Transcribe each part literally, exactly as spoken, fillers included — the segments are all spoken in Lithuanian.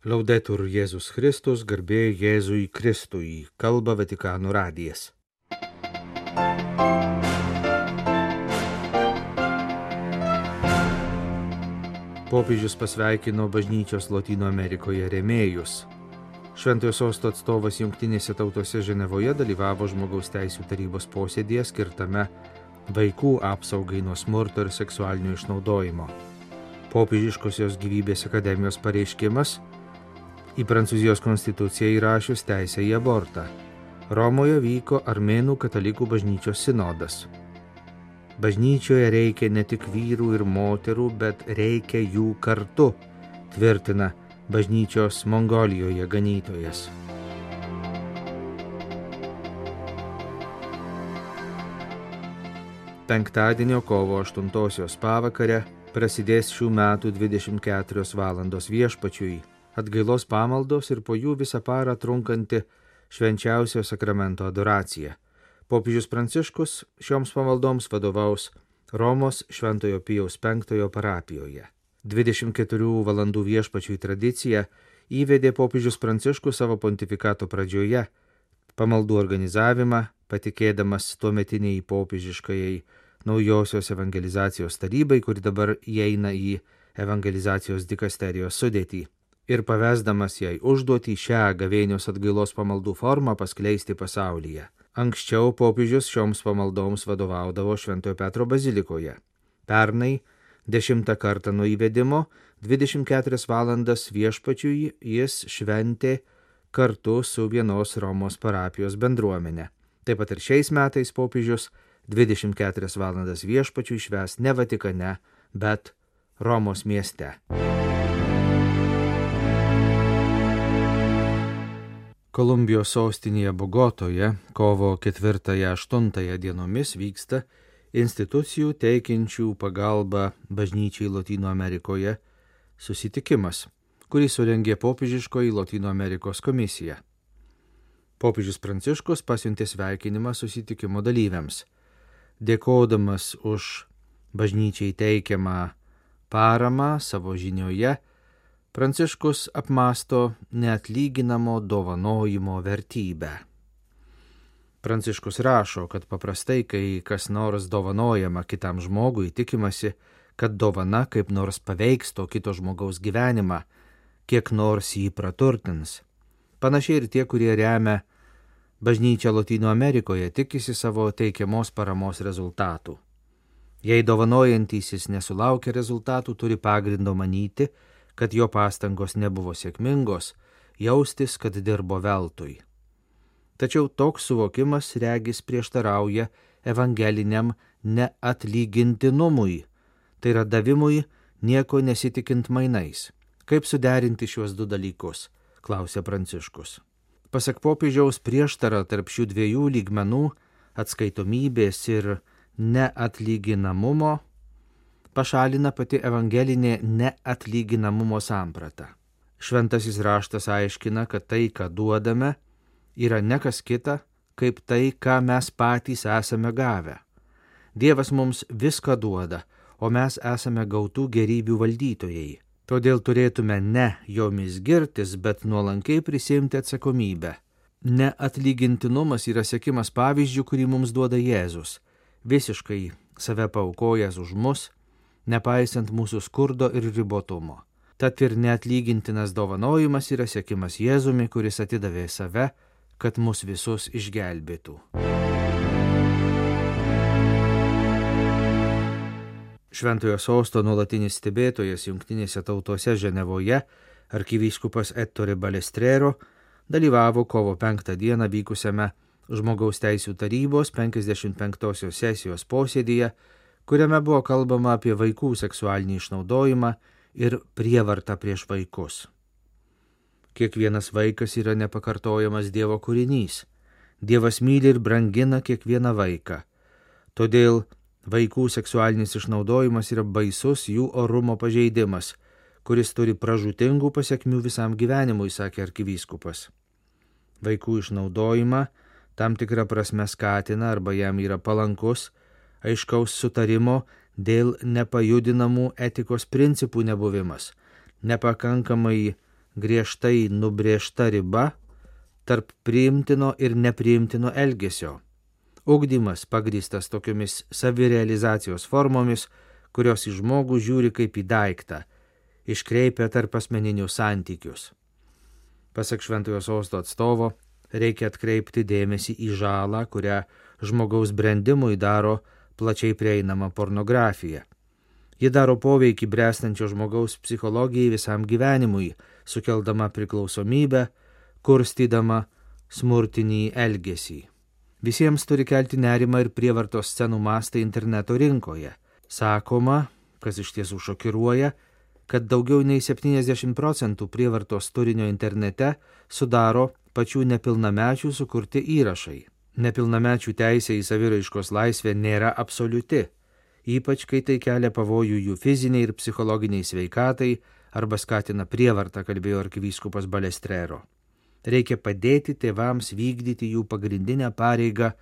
Laudetur Jėzus Kristus, garbė Jėzui Kristui, kalba Vatikano radijas. Popiežius pasveikino bažnyčios Lotynų Amerikoje rėmėjus. Šventojo sosto atstovas Jungtinėse tautose Ženevoje dalyvavo žmogaus teisių tarybos posėdyje skirtame vaikų apsaugai nuo smurto ir seksualinio išnaudojimo. Popiežiškosios gyvybės akademijos pareiškimas į Prancūzijos konstituciją įrašius teisę į abortą. Romoje vyko Armėnų katalikų bažnyčios sinodas. Bažnyčioje reikia ne tik vyrų ir moterų, bet reikia jų kartu, tvirtina bažnyčios Mongolijoje ganytojas. Penktadienio kovo aštuntosios pavakare prasidės šių metų dvidešimt keturios valandos viešpačiui, atgailos pamaldos ir po jų visą parą trunkanti švenčiausio sakramento adoracija. Popiežius Pranciškus šioms pamaldoms vadovaus Romos Šventojo Pijaus penktojo parapijoje. dvidešimt keturių valandų viešpačiui tradiciją įvedė popiežius Pranciškus savo pontifikato pradžioje, pamaldų organizavimą patikėdamas tuometiniai popiežiškajai naujosios evangelizacijos tarybai, kuri dabar įeina į evangelizacijos dikasterijos sudėtį, ir pavesdamas jai užduotį šią gavėnios atgailos pamaldų formą paskleisti pasaulyje. Anksčiau popiežius šioms pamaldoms vadovaudavo Šventojo Petro bazilikoje. Pernai, dešimtą kartą nuo įvedimo, dvidešimt keturias valandas viešpačiui jis šventė kartu su vienos Romos parapijos bendruomenė. Taip pat ir šiais metais popiežius dvidešimt keturias valandas viešpačiui švęs ne Vatikane, bet Romos mieste. Kolumbijos sostinėje Bogotoje kovo ketvirtąją-aštuntąją dienomis vyksta institucijų teikiančių pagalbą bažnyčiai Lotynų Amerikoje susitikimas, kurį surengė popiežiškoji Lotynų Amerikos komisija. Popiežius Pranciškus pasiuntė sveikinimą susitikimo dalyviams. Dėkodamas už bažnyčiai teikiamą paramą savo žinioje, Pranciškus apmąsto neatlyginamo dovanojimo vertybę. Pranciškus rašo, kad paprastai, kai kas nors dovanojama kitam žmogui, tikimasi, kad dovana kaip nors paveiks to kito žmogaus gyvenimą, kiek nors jį praturtins. Panašiai ir tie, kurie remia bažnyčią Lotynų Amerikoje, tikisi savo teikiamos paramos rezultatų. Jei dovanojantysis nesulaukia rezultatų, turi pagrindo manyti, kad jo pastangos nebuvo sėkmingos, jaustis, kad dirbo veltui. Tačiau toks suvokimas regis prieštarauja evangeliniam neatlygintinumui, tai yra davimui nieko nesitikint mainais. Kaip suderinti šiuos du dalykus, klausė Pranciškus. Pasak popiežiaus, prieštara tarp šių dviejų lygmenų, atskaitomybės ir neatlyginamumo, pašalina pati evangelinė neatlyginamumo samprata. Šventasis raštas aiškina, kad tai, ką duodame, yra ne kas kita, kaip tai, ką mes patys esame gavę. Dievas mums viską duoda, o mes esame gautų gerybių valdytojai. Todėl turėtume ne jomis girtis, bet nuolankiai prisiimti atsakomybę. Neatlygintinumas yra sekimas pavyzdžių, kurį mums duoda Jėzus, visiškai save paaukojęs už mus, nepaisant mūsų skurdo ir ribotumo. Tad ir neatlygintinas dovanojimas yra sekimas Jėzumi, kuris atidavė save, kad mus visus išgelbėtų. Šventojo sosto nuolatinis stebėtojas Jungtinėse tautose Ženevoje, arkivyskupas Ettore Balestrero, dalyvavo kovo penktą dieną vykusiame žmogaus teisių tarybos penkiasdešimt penktosios sesijos posėdyje, kuriame buvo kalbama apie vaikų seksualinį išnaudojimą ir prievartą prieš vaikus. Kiekvienas vaikas yra nepakartojamas Dievo kūrinys. Dievas myli ir brangina kiekvieną vaiką. Todėl vaikų seksualinis išnaudojimas yra baisus jų orumo pažeidimas, kuris turi pražūtingų pasekmių visam gyvenimui, sakė arkivyskupas. Vaikų išnaudojimą tam tikrą prasme skatina arba jam yra palankus aiškaus sutarimo dėl nepajudinamų etikos principų nebuvimas, nepakankamai griežtai nubrėžta riba tarp priimtino ir nepriimtino elgesio. Ugdymas pagrįstas tokiomis savirealizacijos formomis, kurios į žmogų žiūri kaip į daiktą, iškreipia tarp asmeninius santykius. Pasak Šventojo Sosto atstovo, reikia atkreipti dėmesį į žalą, kurią žmogaus brendimui daro plačiai prieinama pornografija. Ji daro poveikį bręstančio žmogaus psichologijai visam gyvenimui, sukeldama priklausomybę, kurstydama smurtinį elgesį. Visiems turi kelti nerimą ir prievartos scenų mastai interneto rinkoje. Sakoma, kas iš tiesų šokiruoja, kad daugiau nei septyniasdešimt procentų prievartos turinio internete sudaro pačių nepilnamečių sukurti įrašai. Nepilnamečių teisė į saviraiškos laisvę nėra absoliuti, ypač kai tai kelia pavojų jų fiziniai ir psichologiniai sveikatai arba skatina prievartą, kalbėjo arkivyskupas Balestrero. Reikia padėti tėvams vykdyti jų pagrindinę pareigą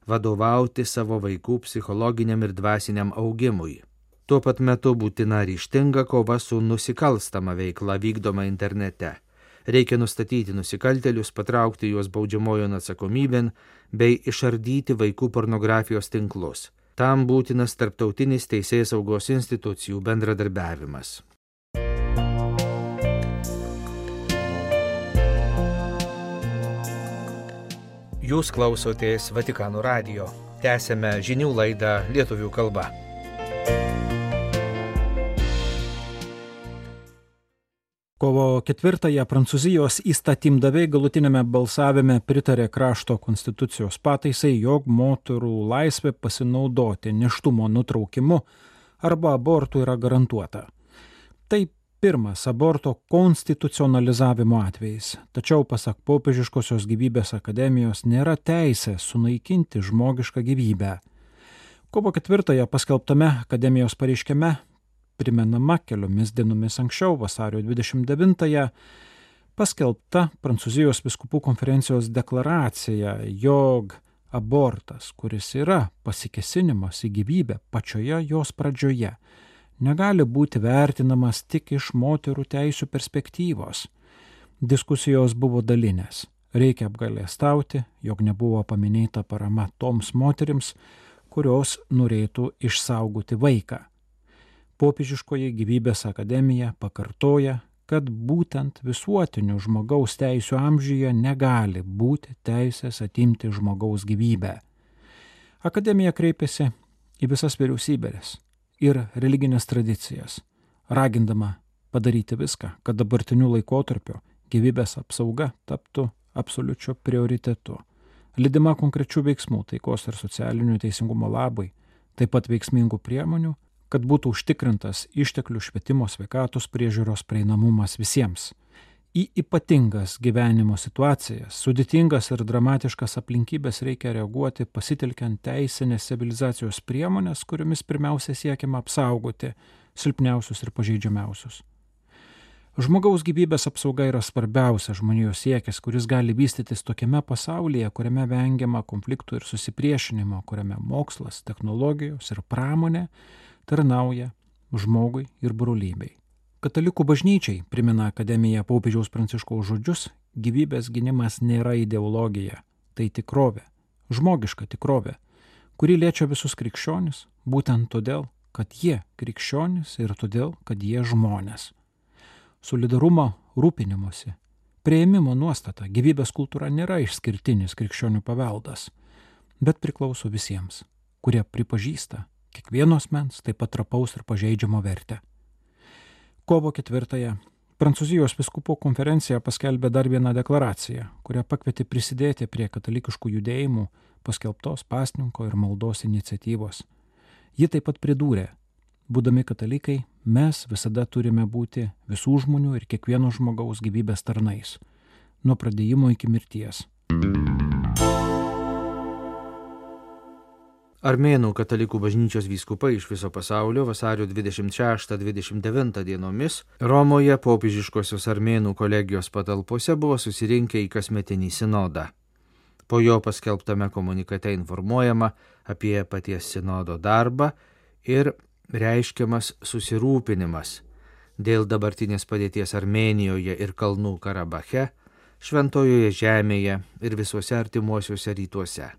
vadovauti savo vaikų psichologiniam ir dvasiniam augimui. Tuo pat metu būtina ryžtinga kova su nusikalstama veikla vykdoma internete. Reikia nustatyti nusikaltėlius, patraukti juos baudžiamojon atsakomybėn bei išardyti vaikų pornografijos tinklus. Tam būtinas tarptautinis teisėsaugos institucijų bendradarbiavimas. Jūs klausotės Vatikano radijo. Tęsėme žinių laidą lietuvių kalba. Kovo ketvirtąją Prancūzijos įstatymdaviai galutinėme balsavime pritarė krašto konstitucijos pataisai, jog moterų laisvė pasinaudoti nėštumo nutraukimu arba abortų yra garantuota. Tai pirmas aborto konstitucionalizavimo atvejis, tačiau pasak Popiežiškosios gyvybės akademijos nėra teisė sunaikinti žmogišką gyvybę. Kovo ketvirtąją paskelbtame akademijos pareiškime primenama keliomis dienomis anksčiau, vasario dvidešimt devintąją, paskelbta Prancūzijos vyskupų konferencijos deklaracija, jog abortas, kuris yra pasikėsinimas į gyvybę pačioje jos pradžioje, negali būti vertinamas tik iš moterų teisių perspektyvos. Diskusijos buvo dalinės. Reikia apgailestauti, jog nebuvo paminėta parama toms moterims, kurios norėtų išsaugoti vaiką. Popiežiškoji gyvybės akademija pakartoja, kad būtent visuotinių žmogaus teisių amžiuje negali būti teisės atimti žmogaus gyvybę. Akademija kreipėsi į visas vyriausybės ir religinės tradicijas, ragindama padaryti viską, kad dabartiniu laikotarpiu gyvybės apsauga taptų absoliučiu prioritetu, lydima konkrečių veiksmų taikos ir socialinių teisingumo labai, taip pat veiksmingų priemonių, kad būtų užtikrintas išteklių švietimo sveikatos priežiūros prieinamumas visiems. Į ypatingas gyvenimo situacijas, sudėtingas ir dramatiškas aplinkybės reikia reaguoti pasitelkiant teisinės civilizacijos priemonės, kuriomis pirmiausia siekiama apsaugoti silpniausius ir pažeidžiamiausius. Žmogaus gyvybės apsauga yra svarbiausia žmonijos siekis, kuris gali vystytis tokiame pasaulyje, kuriame vengiama konfliktų ir susipriešinimo, kuriame mokslas, technologijos ir pramonė tarnauja žmogui ir brolybei. Katalikų bažnyčiai, primena akademija popiežiaus Pranciškaus žodžius, gyvybės gynimas nėra ideologija, tai tikrovė, žmogiška tikrovė, kuri liečia visus krikščionis, būtent todėl, kad jie krikščionis ir todėl, kad jie žmonės. Solidarumo, rūpinimosi, priėmimo nuostata, gyvybės kultūra nėra išskirtinis krikščionių paveldas, bet priklauso visiems, kurie pripažįsta kiekvieno asmens taip pat trapaus ir pažeidžiamo vertę. Kovo ketvirtąją Prancūzijos vyskupų konferencija paskelbė dar vieną deklaraciją, kurią pakvietė prisidėti prie katalikiškų judėjimų paskelbtos pasninko ir maldos iniciatyvos. Ji taip pat pridūrė, būdami katalikai, mes visada turime būti visų žmonių ir kiekvieno žmogaus gyvybės tarnais, nuo pradėjimo iki mirties. Armėnų katalikų bažnyčios vyskupai iš viso pasaulio vasario dvidešimt šeštą dvidešimt devintą dienomis Romoje popiežiškosios armėnų kolegijos patalpose buvo susirinkę į kasmetinį sinodą. Po jo paskelbtame komunikate informuojama apie paties sinodo darbą ir reiškiamas susirūpinimas dėl dabartinės padėties Armėnijoje ir Kalnų Karabache, Šventojoje žemėje ir visuose artimuosiuose rytuose.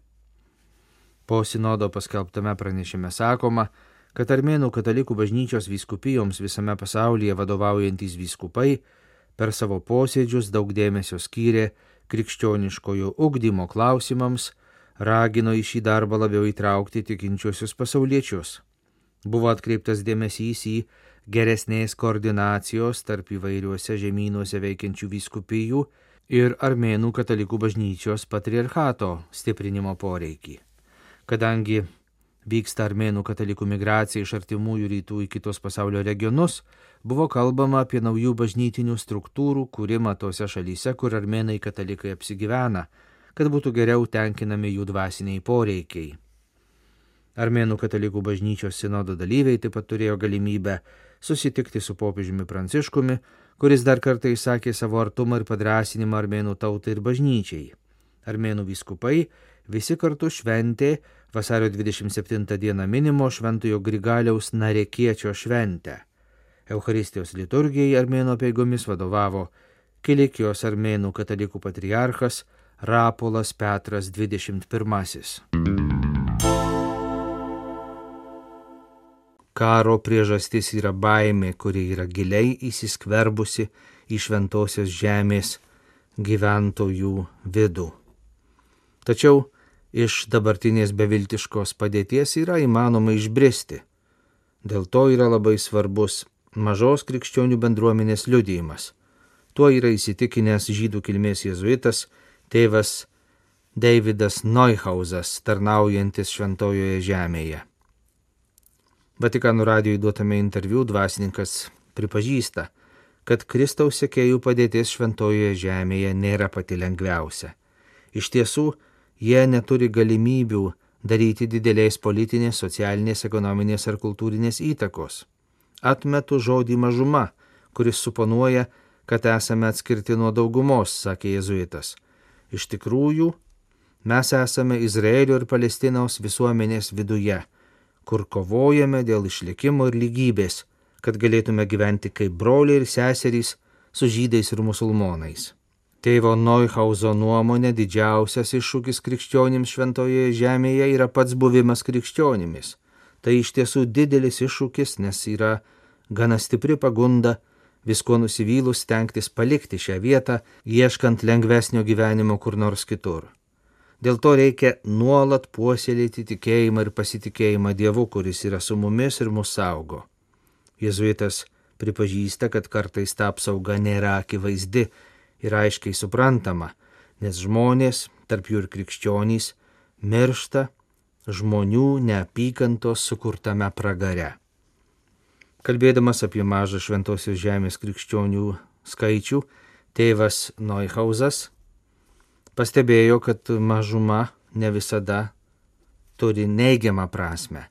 Po sinodo paskelbtame pranešime sakoma, kad Armėnų katalikų bažnyčios vyskupijoms visame pasaulyje vadovaujantys vyskupai per savo posėdžius daug dėmesio skyrė krikščioniškojo ugdymo klausimams, ragino į šį darbą labiau įtraukti tikinčiuosius pasauliečius. Buvo atkreiptas dėmesys į geresnės koordinacijos tarp įvairiuose žemynuose veikiančių vyskupijų ir Armėnų katalikų bažnyčios patriarchato stiprinimo poreikį. Kadangi vyksta Armėnų katalikų migracija iš artimųjų rytų į kitus pasaulio regionus, buvo kalbama apie naujų bažnytinių struktūrų kūrimą tose šalyse, kur Armėnai katalikai apsigyvena, kad būtų geriau tenkinami jų dvasiniai poreikiai. Armėnų katalikų bažnyčios sinodo dalyviai taip pat turėjo galimybę susitikti su popiežiumi Pranciškumi, kuris dar kartą išsakė savo artumą ir padrąsinimą Armėnų tautai ir bažnyčiai. Armėnų vyskupai visi kartu šventė vasario dvidešimt septintą dieną minimo Šventojo Grigaliaus Narekiečio šventę. Eucharistijos liturgijai Armėnų apeigomis vadovavo Kilikijos Armėnų katalikų patriarchas Rapolas Petras dvidešimt pirmasis. Karo priežastis yra baimė, kuri yra giliai įsiskverbusi į šventosios žemės gyventojų vidų. Tačiau iš dabartinės beviltiškos padėties yra įmanoma išbristi. Dėl to yra labai svarbus mažos krikščionių bendruomenės liudijimas. Tuo yra įsitikinęs žydų kilmės jėzuitas tėvas Davidas Neuhausas, tarnaujantis Šventojoje žemėje. Vatikano radijui duotame interviu dvasininkas pripažįsta, kad Kristaus sekėjų padėtis Šventojoje žemėje nėra pati lengviausia. Iš tiesų, jie neturi galimybių daryti didelės politinės, socialinės, ekonominės ar kultūrinės įtakos. Atmetu žodį mažuma, kuris suponuoja, kad esame atskirti nuo daugumos, sakė jėzuitas. Iš tikrųjų, mes esame Izraelio ir Palestinos visuomenės viduje, kur kovojame dėl išlikimo ir lygybės, kad galėtume gyventi kaip broliai ir seserys su žydais ir musulmonais. Tėvo Neuhauso nuomonė didžiausias iššūkis krikščionims Šventojoje žemėje yra pats buvimas krikščionimis. Tai iš tiesų didelis iššūkis, nes yra gana stipri pagunda visko nusivylus stengtis palikti šią vietą, ieškant lengvesnio gyvenimo kur nors kitur. Dėl to reikia nuolat puoselėti tikėjimą ir pasitikėjimą Dievu, kuris yra su mumis ir mus saugo. Jėzuitas pripažįsta, kad kartais ta apsauga nėra akivaizdi ir aiškiai suprantama, nes žmonės, tarp jų ir krikščionys, miršta žmonių neapykantos sukurtame pragare. Kalbėdamas apie mažą Šventosios žemės krikščionių skaičių, tėvas Neuhausas pastebėjo, kad mažuma ne visada turi neigiamą prasme.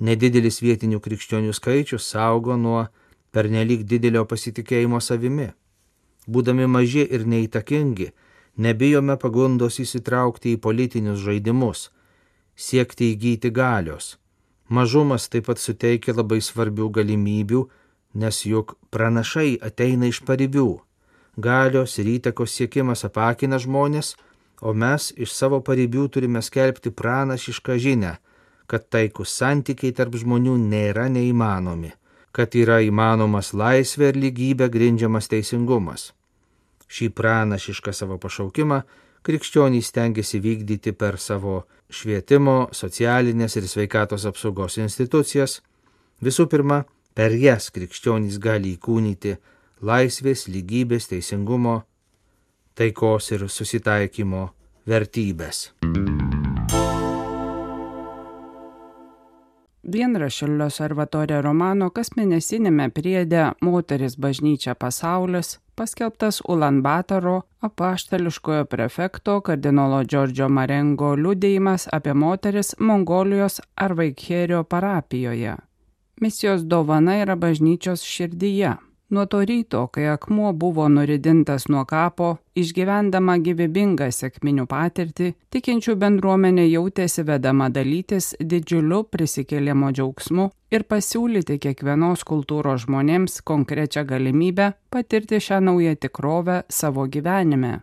Nedidelis vietinių krikščionių skaičius saugo nuo pernelyg didelio pasitikėjimo savimi. Būdami maži ir neįtakingi, nebijome pagundos įsitraukti į politinius žaidimus, siekti įgyti galios. Mažumas taip pat suteikia labai svarbių galimybių, nes juk pranašai ateina iš paribių. Galios ir įtakos siekimas apakina žmonės, o mes iš savo paribių turime skelbti pranašišką žinią, kad taikus santykiai tarp žmonių nėra neįmanomi, kad yra įmanomas laisvė ir lygybė grindžiamas teisingumas. Šį pranašišką savo pašaukimą krikščionys stengiasi vykdyti per savo švietimo, socialinės ir sveikatos apsaugos institucijas. Visų pirma, per jas krikščionys gali įkūnyti laisvės, lygybės, teisingumo, taikos ir susitaikymo vertybės. Dienraščio L'Osservatore Romano kasmėnesinėme priede Moteris bažnyčia pasaulis paskelbtas Ulan Batoro apaštališkojo prefekto kardinolo Džordžio Marengo liudijimas apie moteris Mongolijos Arvaikherio parapijoje. Misijos dovana yra bažnyčios širdyje. Nuo to ryto, kai akmuo buvo nuridintas nuo kapo, išgyvendama gyvybingą sekminių patirtį, tikinčių bendruomenė jautėsi vedama dalytis didžiuliu prisikėlimo džiaugsmu ir pasiūlyti kiekvienos kultūros žmonėms konkrečią galimybę patirti šią naują tikrovę savo gyvenime.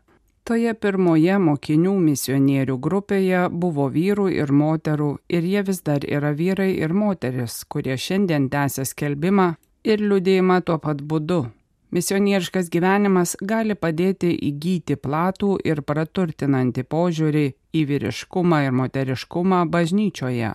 Toje pirmoje mokinių misionierių grupėje buvo vyrų ir moterų ir jie vis dar yra vyrai ir moteris, kurie šiandien tęsia skelbimą ir liudijimą tuo pat būdu. Misionieriškas gyvenimas gali padėti įgyti platų ir praturtinantį požiūrį į vyriškumą ir moteriškumą bažnyčioje.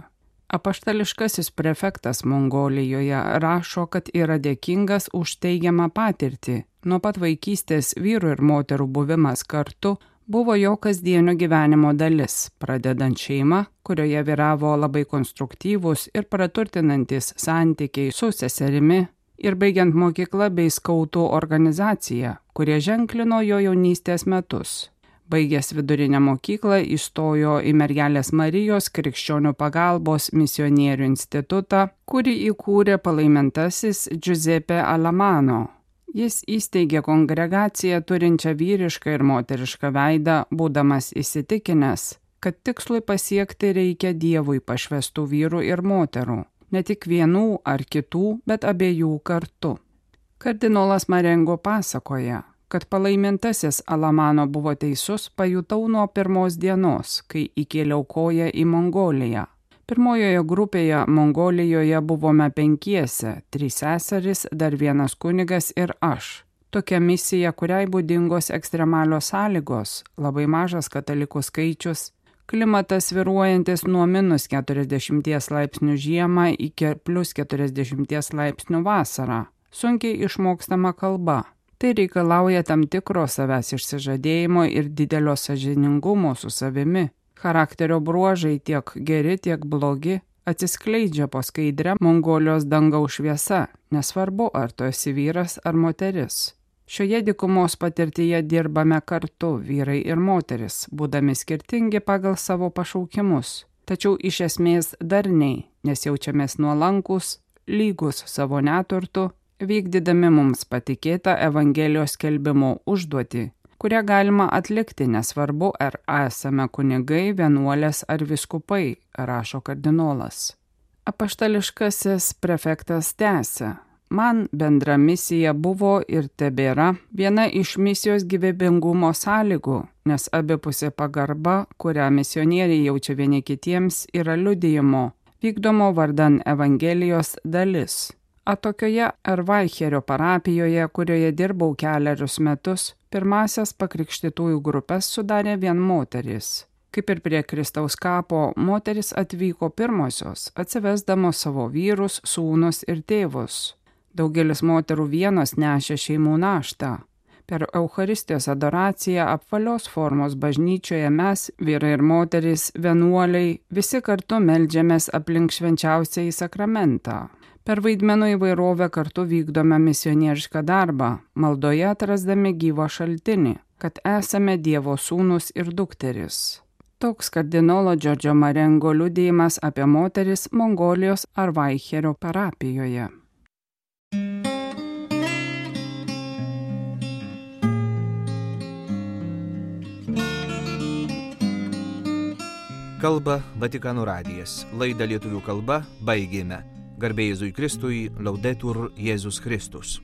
Apaštališkasis prefektas Mongolijoje rašo, kad yra dėkingas už teigiamą patirtį. Nuo pat vaikystės vyrų ir moterų buvimas kartu buvo jo kasdienio gyvenimo dalis, pradedant šeimą, kurioje vyravo labai konstruktyvūs ir praturtinantis santykiai su seserimi, ir baigiant mokyklą bei skautų organizaciją, kurie ženklino jo jaunystės metus. Baigęs vidurinę mokyklą įstojo į Mergelės Marijos krikščionių pagalbos misionierių institutą, kurį įkūrė palaimintasis Giuseppe Alamano. Jis įsteigė kongregaciją turinčią vyrišką ir moterišką veidą, būdamas įsitikinęs, kad tikslui pasiekti reikia Dievui pašvestų vyrų ir moterų, ne tik vienų ar kitų, bet abiejų kartu. Kardinolas Marengo pasakoja, kad palaimintasis Alamano buvo teisus, pajutau nuo pirmos dienos, kai įkėliau koją į Mongoliją. Pirmojoje grupėje Mongolijoje buvome penkiese, trys seserys, dar vienas kunigas ir aš. Tokia misija, kuriai būdingos ekstremalios sąlygos, labai mažas katalikų skaičius, klimatas svyruojantis nuo minus keturiasdešimt laipsnių žiemą iki plus keturiasdešimt laipsnių vasarą, sunkiai išmokstama kalba. Tai reikalauja tam tikro savęs išsižadėjimo ir didelio sąžiningumo su savimi. Charakterio bruožai tiek geri, tiek blogi atsiskleidžia po skaidrę Mongolijos dangaus šviesa, nesvarbu, ar tu esi vyras ar moteris. Šioje dykumos patirtyje dirbame kartu, vyrai ir moteris, būdami skirtingi pagal savo pašaukimus, tačiau iš esmės darniai, nes jaučiamės nuolankus, lygus savo neturtu, vykdydami mums patikėtą Evangelijos skelbimo užduotį, kurią galima atlikti, nesvarbu, ar esame kunigai, vienuolės ar vyskupai, rašo kardinolas. Apaštališkasis prefektas tęsia. Man bendra misija buvo ir tebėra viena iš misijos gyvybingumo sąlygų, nes abipusė pagarba, kurią misionieriai jaučia vieni kitiems, yra liudijimo, vykdomo vardan Evangelijos dalis. Atokioje Ervaicherio parapijoje, kurioje dirbau keliarius metus, pirmasias pakrikštytųjų grupės sudarė vien moterys. Kaip ir prie Kristaus kapo, moteris atvyko pirmosios, atsivesdamos savo vyrus, sūnus ir tėvus. Daugelis moterų vienos nešė šeimų naštą. Per Eucharistijos adoraciją apvalios formos bažnyčioje mes, vyrai ir moterys, vienuoliai, visi kartu meldžiamės aplink švenčiausiąjį sakramentą. Per vaidmenų įvairovę kartu vykdome misionierišką darbą, maldoje atrasdami gyvą šaltinį, kad esame Dievo sūnus ir dukteris. Toks kardinolo Giorgio Marengo liudijimas apie moteris Mongolijos Ervaicherio parapijoje. Kalba Vatikano radijas. Laidą lietuvių kalba baigėme. Garbė Jėzui Kristui, Laudetur Jėzus Kristus.